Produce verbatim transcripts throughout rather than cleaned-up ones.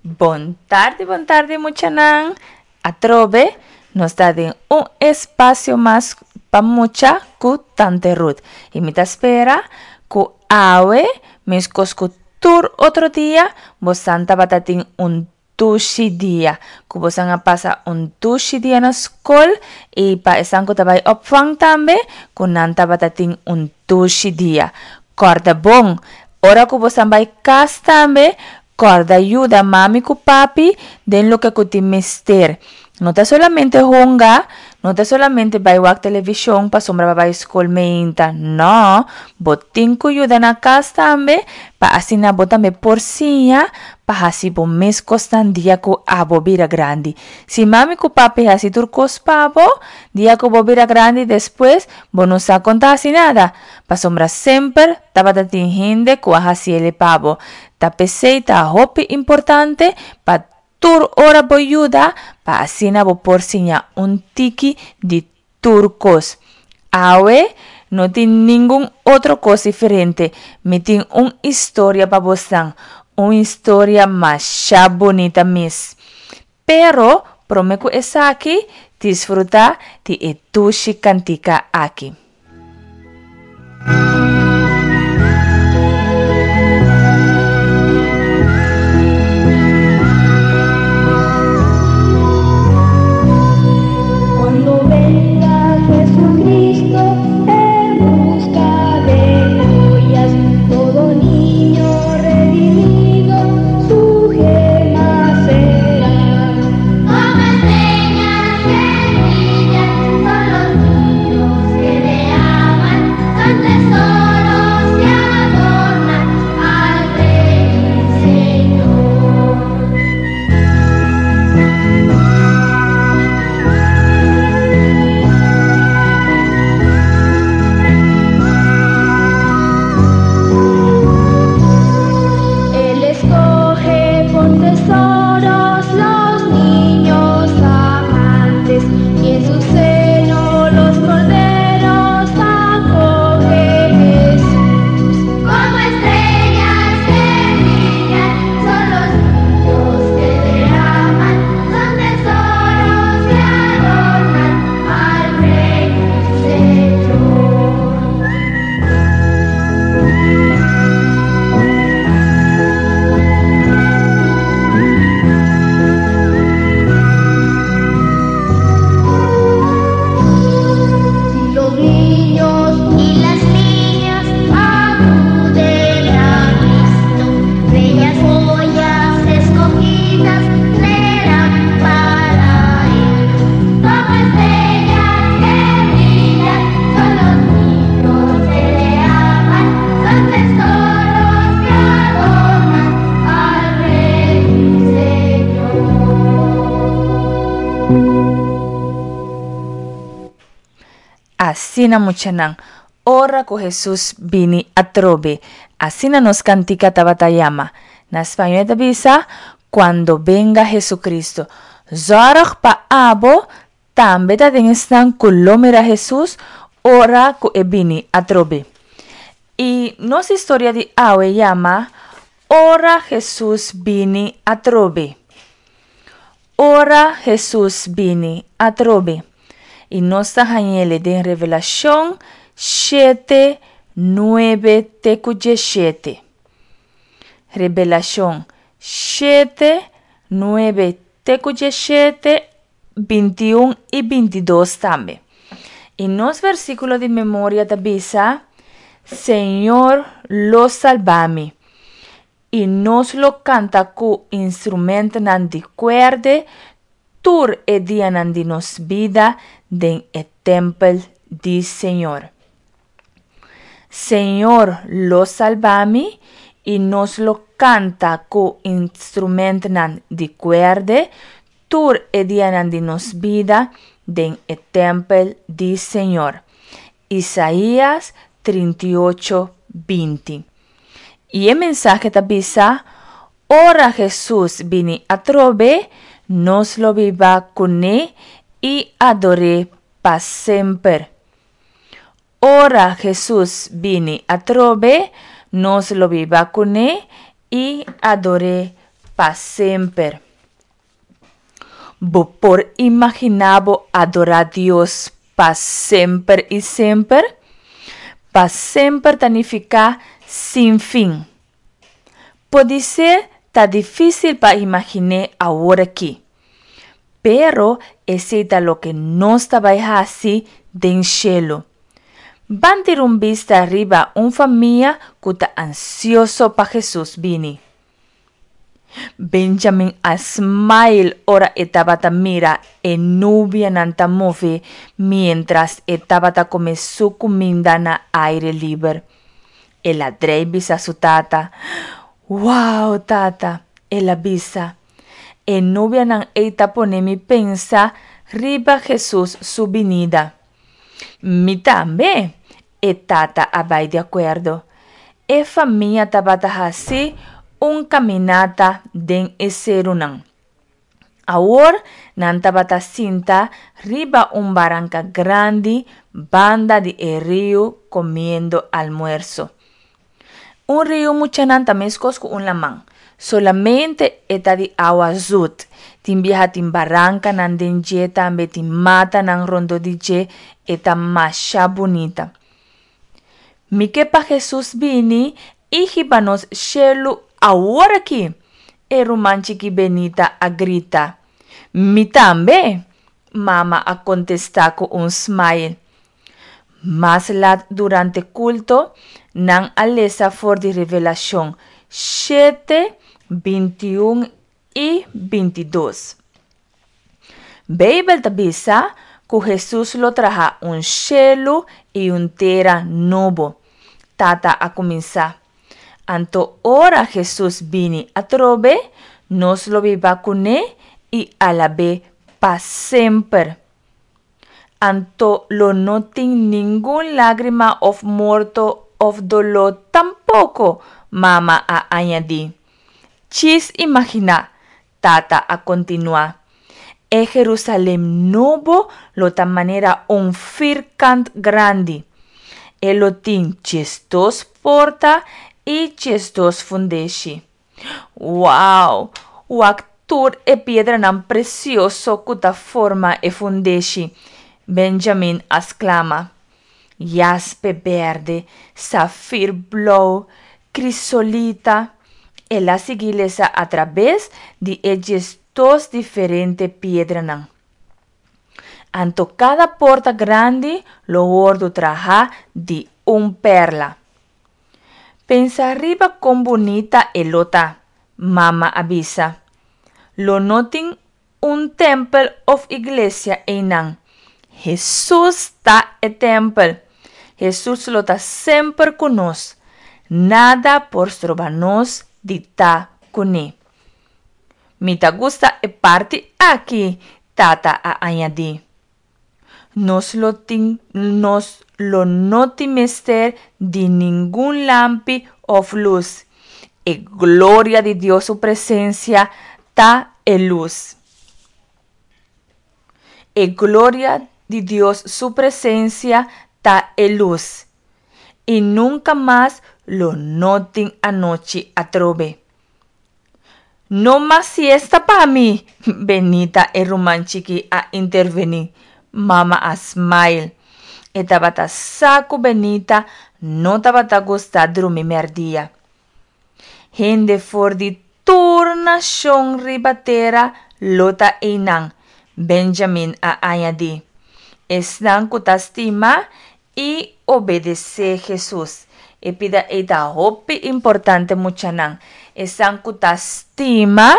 Bon tardi, bon tardi muchanan. Atrobe nos ta den un espasio mas pa mucha ku Tante Ruth. I mi ta spera ku awe, meskos ku tur otro dia, bosan tabata tin un dushi dia. Ku bosan a pasa un dushi dia na skol i pa esnan ku ta bai opvang tambe, ku nan tabata tin un dushi dia. Kòrda bon, ora ku bosan bai kas tambe, kòrda yuda mami ku papi den loke ku tin mester. No ta solamente hunga, no ta solamente bai wak televishon pasobra bo a bai skol meinta. No, bo tin ku yuda na kas tambe pa asina bo tambe por siña pa hasi bo mes kosnan dia ku abo bira grandi. Si mami ku papi hasi tur kos pa bo, dia ku bo bira grandi despues bo no sa kon ta hasi nada, pasobra semper tabata tin hende ku a hasi el pa bo. Ta p'esei ta hopi importante pa tur ora bo yuda pa asina bo por siña un tiki di tur kos. Awe no tin ningun otro kos diferente, mi tin un historia pa bosnan, un historia masha bunita mes. Pero prome ku esaki disfruta di e dushi kantika aki. Cuando venga Jesucristo en busca de joyas, todo niño redimido su gema será. Como estrellas que brillan son los niños que le aman, son tesoros que adornan al Rey y Señor. Él escoge por tesoros los niños amantes, y en su seno los corderos acoge Jesús. Como estrellas que brillan son los niños que te aman, son tesoros que adornan al Rey y Señor. Si los niños y las niñas acuden a Cristo, bellas joyas escogidas serán para Él. Como estrellas que brillan son los niños que le aman, son tesoros que adornan al Rey y Señor. Asina muchanan, ora ku Hesus bini atrobe. Asina nos kantika tabata yama. Na spañó e ta bisa, Cuando venga Jesucristo. Zòrg pa abo tambe ta den esnan ku lo mira Hesus ora ku e bini atrobe. I nos historia di awe yama Ora Hesus bini atrobe. Ora Hesus bini atrobe. I nos ta hañ'ele den Revelashon shete, nuebe te ku dieshete. Revelashon shete, nuebe te ku dieshete, bintiun i bintidos tambe. I nos versíkulo di memoria ta bisa, Señor lo salba mi, i nos lo kanta ku instrumentonan di kuerde tur e dianan di nos bida den e tèmpel di Señor. Señor lo salba mi, i nos lo kanta ku instrumentonan di kuerde tur e dianan di nos bida den e tèmpel di Señor. Isaías trinta i ocho, binti. I e mensahe ta bisa, Ora Hesus bini atrobe, nos lo biba kuné i ador'é pa semper. Ora Hesus bini atrobe, nos lo biba kuné i ador'é pa semper. Bo por imaginá bo adorá Dios pa semper i semper? Pa semper ta nifiká sin fin. Podisé ta difísil pa imagin'é aworakí. Pero esei ta loke nos ta bai hasi den shelu. Ban tira un bista riba un famia ku ta ansioso pa Hesus bini. Benjamin a smile ora e tabata mira e nubianan ta move miéntras e tabata kome su kuminda na aire liber. El a drei bisa su tata. "Wow, tata," el a bisa. "E nubianan ei ta pone mi pensa riba Hesus su binida." "Mi tambe," e tata a bai di akuerdo. E famia tabata hasi un kaminata den e serunan. Awor nan tabata sinta riba un baranka grandi banda di e riu komiendo almuerso. Un riu, muchanan, ta meskos ku un laman. Solamente e ta di awa zut. Tin biaha tin barankanan den dje tambe, tin matanan rondó di dje, e ta masha bunita. "Mi ke pa Hesus bini i hiba nos shelu awor akí," e ruman chikí Benita a grita. "Mi tambe," mama a kontestá ku un smile. Mas lat durante kulto, nan a lesa for di Revelashon shete, bintiun i bintidos. Beibel ta bisa ku Hesus lo traha un shelu i un tera nobo, tata a kuminsá. "Anto ora Hesus bini atrobe, nos lo biba kuné i alab'é pa semper. Anto lo no tin ningun lágrima òf morto òf doló tampoko," mama a añadí. "Djis imaginá," tata a kontinuá. "E Herusalèm Nobo lo ta manera un firkant grandi. E lo tin diesdos porta i diesdos fundeshi. Wow! Wak tur e piedranan presioso ku ta forma e fundeshi," Benjamin a sklama. "Jaspe bèrdè, safir blou, krisolita." El a sigui lesa atrabes di e diesdos diferente piedranan. "Anto kada porta grandi lo wòrdu trahá di un pèrla. Pensa riba kon bunita e lo ta," mama a bisa. "Lo no tin un tèmpel òf iglesia einan. Hesus ta e tèmpel. Hesus lo ta semper ku nos. Nada por stroba nos di ta kuné. Mi ta gusta e parti aki," tata a añadí. "Nos lo tin nos lo no tin mester di ningun lampi òf lus. E gloria di Dios su presensia ta e lus. E gloria di Dios su presensia ta e lus. I nunka mas lo no tin anochi atrobe." "No mas siesta pa mi," Benita, e ruman chikí, a intervení. Mama a smile. E tabata sa ku Benita no tabata gusta drumi mèrdia. "Hende for di tur nashon riba tera lo ta einan," Benjamin a añadí. "Esnan ku ta stima i obedesé Hesus." E pida ei ta hopi importante, muchanan. Esnan ku ta stima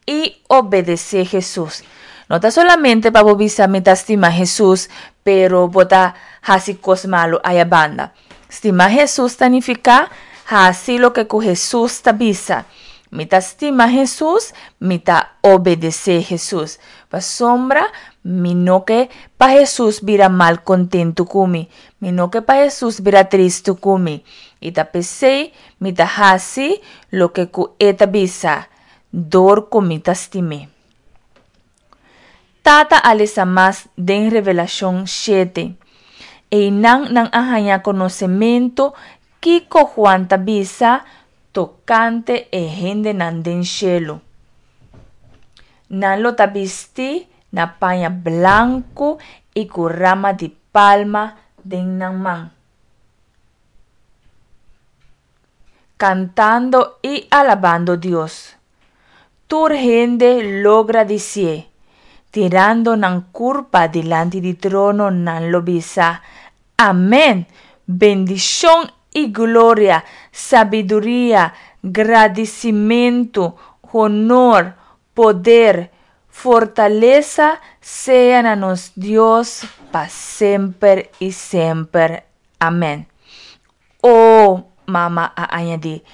i obedesé Hesus. No ta solamente pa bo bisa "Mi ta stima Hesus", pero bo ta hasi kos malu aya banda. Stima Hesus ta nifiká hasi loke ku Hesus ta bisa. Mi ta stima Hesus, mi ta obedesé Hesus. Pasobra mi no ke pa Hesus bira malkontentu ku mi. Mi no ke pa Hesus bira tristu ku mi. I ta p'esei mi ta hasi loke ku e ta bisa, dor ku mi ta stim'é. Tata a lesa mas den Revelashon shete. Einan nan a haña konosementu kiko Juan ta bisa tokante e hendenan den shelu. Nan lo ta bistí na paña blanku i ku rama di palma den nan man. Kantando i alabando Dios. Tur hende lo gradisié. Tirando nan kurpa dilanti di trono nan lo bisa, Amèn! Bendishon i gloria, sabiduria, gradisimentu, honor, poder, fortalesa sea na nos Dios pa semper i semper. Amèn. O, mama a añadí,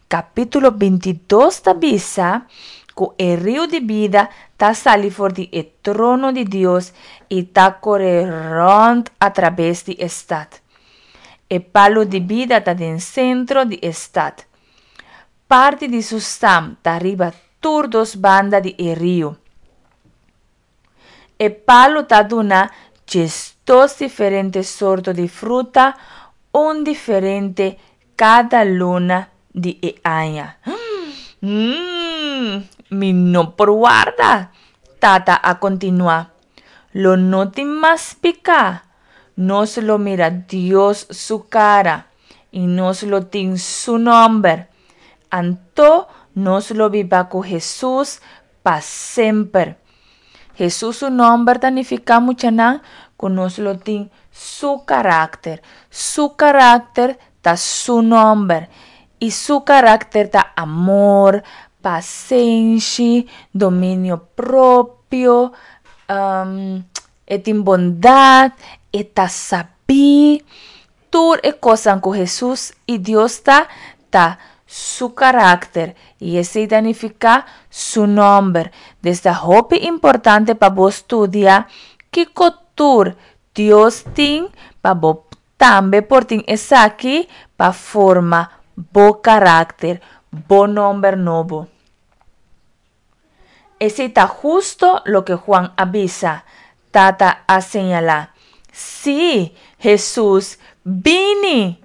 kapítulo bintidos ta bisa ku e riu di bida ta sali for di e trono di Dios i ta kore rònt atrabes di e stat. E palu di bida ta den sentro di e stat. Parti di su stam ta riba tur dos banda di e riu. E palu ta duna diesdos diferente sorto di fruta, un diferente kada luna di e aña. Mmm, mi no por warda! Tata a kontinuá. Lo no tin mas piká. Nos lo mira Dios su kara, i nos lo tin su nòmber. Anto nos lo biba ku Hesus pa semper. Hesus su nòmber ta nifiká, muchanan, ku nos lo tin su karakter. Su karakter ta su nòmber. I su karakter ta amor, pasenshi, dominio propio, um, e tin bondat, e ta sabí. Tur e kosnan ku Hesus i Dios ta, ta su karakter. I esei ta nifiká su nòmber. Dus ta hopi importante pa bo studia kiko tur Dios tin pa bo tambe por tin esaki pa forma bo karakter, bo nòmber nobo. Esei ta husto loke Juan a bisa, Tata a señalá. Sí, Hesus, bini!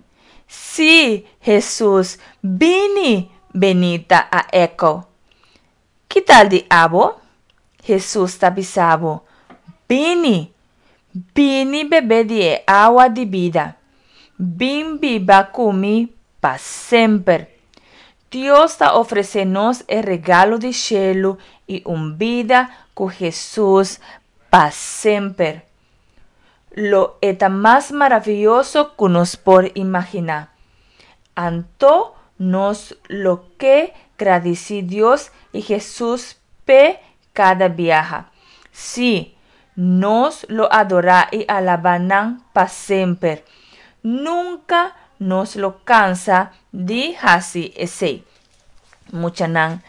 Sí, Hesus, bini! Benita a echo. Ki tal di abo? Hesus ta bisa bo, Bini! Bini bebe di e awa di bida. Bin biba ku mi pa semper. Dios ta ofresé nos e regalo di shelu i un bida ku Hesus pa semper. Lo e ta mas maravioso ku nos por imaginá. Anto nos lo ke gradisí Dios i Hesus p'e kada biaha. Sí, nos lo adorá i alabá nan pa semper. Nunka nos lo kansa di hasi esei. Muchanan,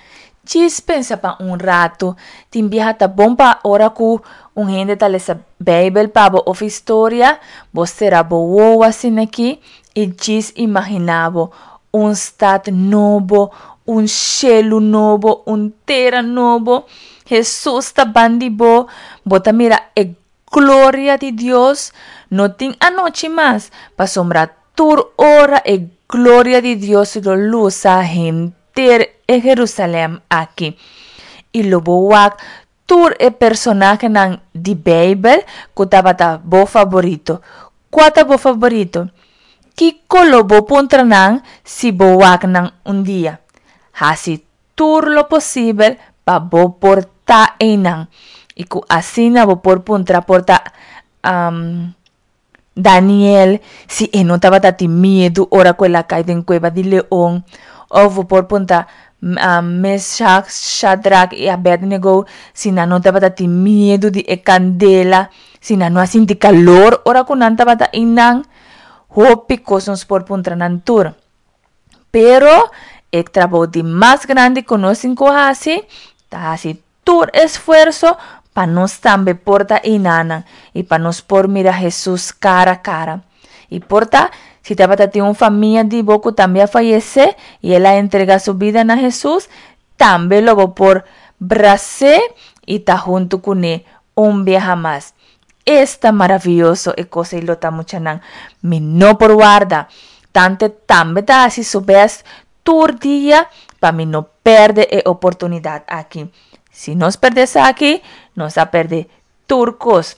djis pensa pa un ratu, tin biaha ta bon pa ora ku un hende ta lesa Beibel pa bo òf historia, bo sera bo wowo asin'akí i djis imaginá bo un stat nobo, un shelu nobo, un tera nobo. Hesus ta ban di bo, bo ta mira e gloria di Dios. No tin anochi mas, pasobra tur ora e gloria di Dios lo lusa henter e Herusalèm aki. I lo bo wak tur e personahenan di Beibel ku tabata bo faborito. Kua ta bo faborito? Kiko lo bo puntra nan si bo wak nan un dia? Hasi tur lo posibel pa bo por ta einan i ku asina bo por puntra por ta um, Daniel si e no tabata tin miedu ora ku el a kai den kueba di leon, òf bo por puntra um, Meshach, Shadrach i Abednego si nan no tabata tin miedu di e kandela, si nan no a sinti kalor ora ku nan tabata einan. Hopi kos nos por puntra nan tur. Pero e trabou di mas grandi ku nos tin ku hasi ta hasi tur esfuerso pa nos tambe por ta einanan i pa nos por mira Hesus kara kara. I por ta si tabata tin un famia di bo ku tambe a fayesé i el a entregá su bida na Hesus, tambe lo bo por bras'é i ta huntu kuné un biaha mas. Esta maravioso e kos ei lo ta, muchanan! Mi no por warda! Tante tambe ta hasi su bèst tur dia Pa mi no pèrdè e oportunidat aki. Si nos pèrdè esaki, nos a pèrdè tur kos.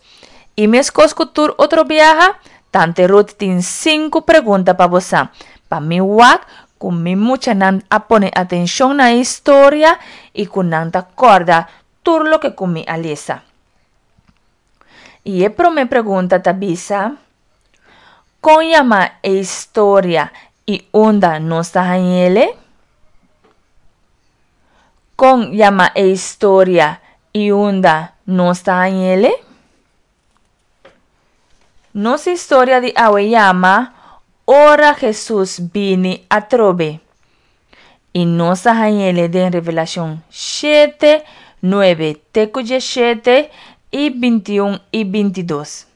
I meskos ku tur otro biaha, Tante Ruth tin sinku pregunta pa boso. Pa mi wak ku mi muchanan a pone atenshon na e historia i ku nan ta kòrda tur loke ku mi a lesa. I e promé pregunta ta bisa: Kon yama e historia i unda nos ta hañ'é? Kon yama e historia i unda nos ta hañ'é? Nos historia di awe yama Ora Jesus Bini Atrobe. I nos ta hañ'é den Revelashon shete, nuebe te ku diesshete i bintiun i bintidos.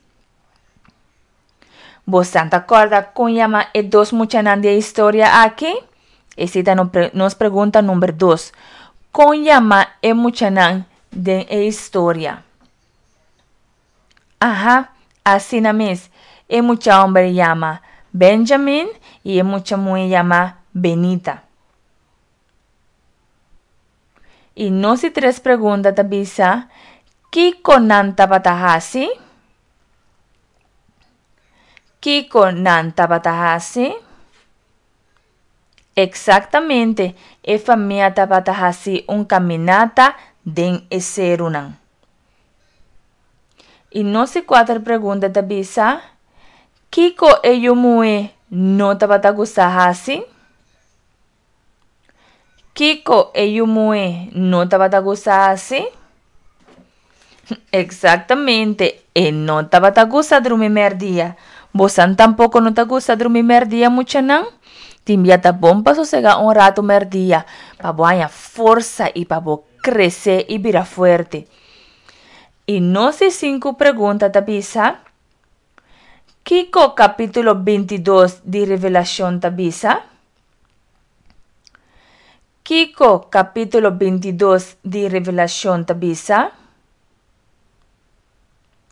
Boso ta kòrda kon yama e dos muchanan di e historia aki? Esei ta nos pregunta number dos. Kon yama e muchanan den e historia? Aha, asina mes. E mucha hòmber yama Benjamin i e mucha muhé yama Benita. I nos di tres pregunta ta bisa: Kiko nan tabata hasi? Kiko nan tabata hasi? Eksaktamente, e famia tabata hasi un kaminata den e serunan. I nos di kuater pregunta ta bisa: Kiko e yu muhé no tabata gusta hasi? Kiko e yu muhé no tabata gusta hasi? Eksaktamente, e no tabata gusta drumi mèrdia. Bosan tampoko no ta gusta drumi mèrdia, muchanan? Tin bia ta bon pa sosegá un ratu mèrdia, pa bo haña forsa i pa bo krese i bira fuerte. I nos di sinku pregunta ta bisa: Kiko kapítulo bintidos di Revelashon ta bisa? Kiko kapítulo bintidos di Revelashon ta bisa?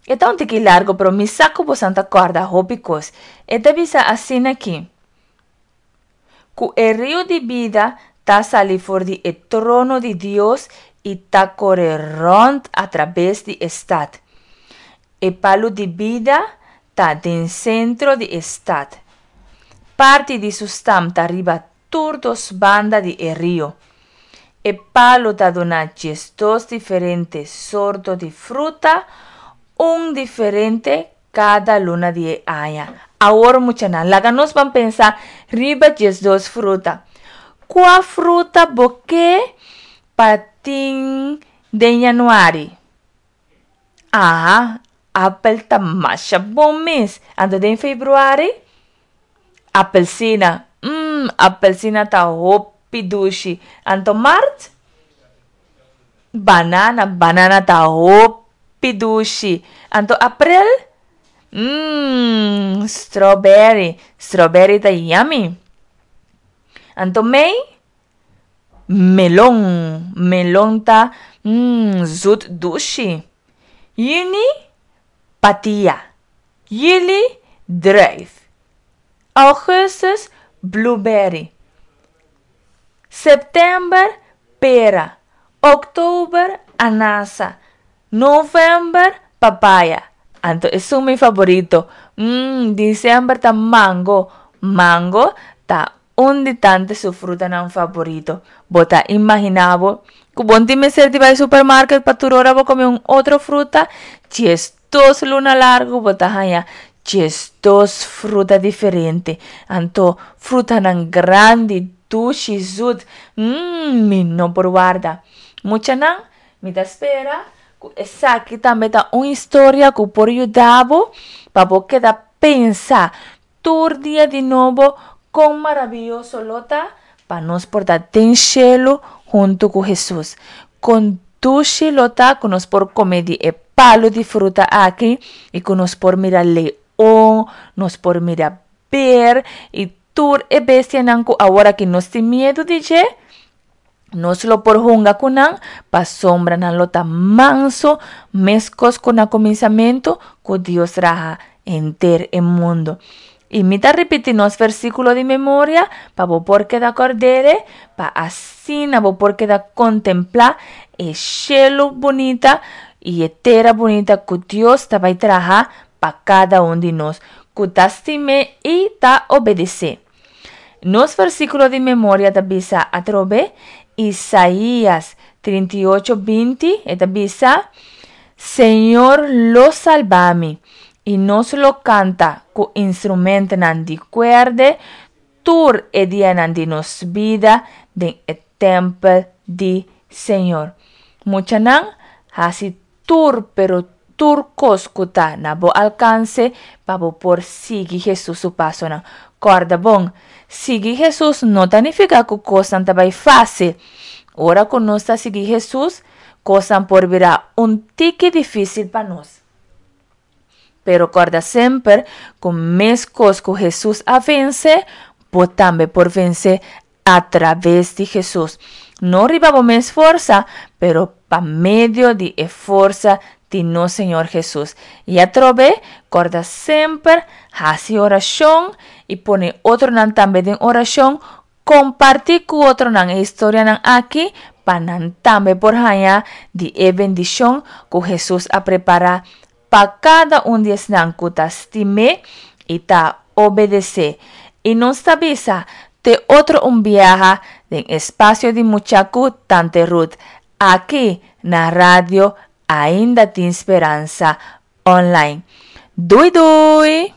E ta un tiki largu, pero mi sa ku boso ta kòrda hopi kos. E ta bisa asina aki: Ku e riu di bida ta sali for di e trono di Dios i ta kore rònt atrabes di e stat. E palu di bida ta den sentro di e stat. Parti di su stam ta riba tur dos banda di e rio. E palu ta duna diesdos diferente sorto di fruta, un diferente kada luna di e aña. Awor muchanan, laga nos ban pensa riba diesdos fruta. Kua fruta bo ke pa tin den yanüari? Aha, apel ta masha bon mes. Anto den febrüari? Apelsina. Mmm, apelsina ta hopi dushi. Anto mart? Banana, banana ta hopi dushi. Anto aprel? Mmm, strawberry, strawberry ta yummy. Anto mei? Melon, melon ta mmm, zut dushi. Yüni? Patia. Yüli? Druif. Augustus? Blueberry. September? Pera. Oktober? Anasa. November? Papaya. Anto esun mi favorito. Mmm, december ta mango. Mango ta un di tante su frutanan favorito. Bo ta imaginá bo ku bo no tin mester di bai supermarket pa tur ora bo kome un otro fruta? Diesdos luna largu bo ta haña diesdos fruta diferente. Anto frutanan grandi, dushi, zut. Mmm, mi no por warda. Muchanan, mi ta spera ku esaki tambe ta un historia ku por yuda bo pa bo keda pensa tur dia di nobo kon maravioso lo ta pa nos por ta den shelu huntu ku Hesus. Kon dushi lo ta ku nos por kome di e palu di fruta aki i ku nos por mira leon, nos por mira ber i tur e bestianan ku awor aki nos tin miedu di dje. Nos lo por hunga ku nan, pasobra nan lo ta manso, meskos ku na kuminsamentu ku Dios traha henter e mundu. I mi ta ripití nos versíkulo di memoria pa bo por keda kòrd'é, pa asina bo por keda kontemplá e shelu bunita i e tera bunita ku Dios ta bai traha pa kada un di nos ku ta stim'é i ta obedes'é. Nos versíkulo di memoria ta bisa atrobe Isaías trinta i ocho binti, e ta bisa, Señor lo salba mi, i nos lo kanta ku instrumentonan di kuèrdè tur e dianan di nos bida den e tèmpel di Señor. Muchanan, hasi tur pero tur kos ku ta na bo alkanse pa bo por sigui Hesus su pasonan. Kòrda bon, sigui Hesus no ta nifiká ku kosnan ta bai fásil. Ora ku nos ta sigui Hesus, kosnan por bira un tiki difísil pa nos. Pero kòrda semper ku meskos ku Hesus a vense, bo tambe por vense atraves di Hesus. No riba bo mes forsa, pero pa medio di e forsa di nos Señor Hesus. I atrobe, kòrda semper hasi orashon i pone otronan tambe den orashon. Kompartí ku otronan e historianan aki pa nan tambe por haña di e bendishon ku Hesus a prepará pa kada un di esnan ku ta stim'é i ta obedes'é. I nos ta bisa te otro un biaha den espasio di Mucha ku Tante Ruth, aki na Radio Ainda Tin Speransa Online. Dui dui!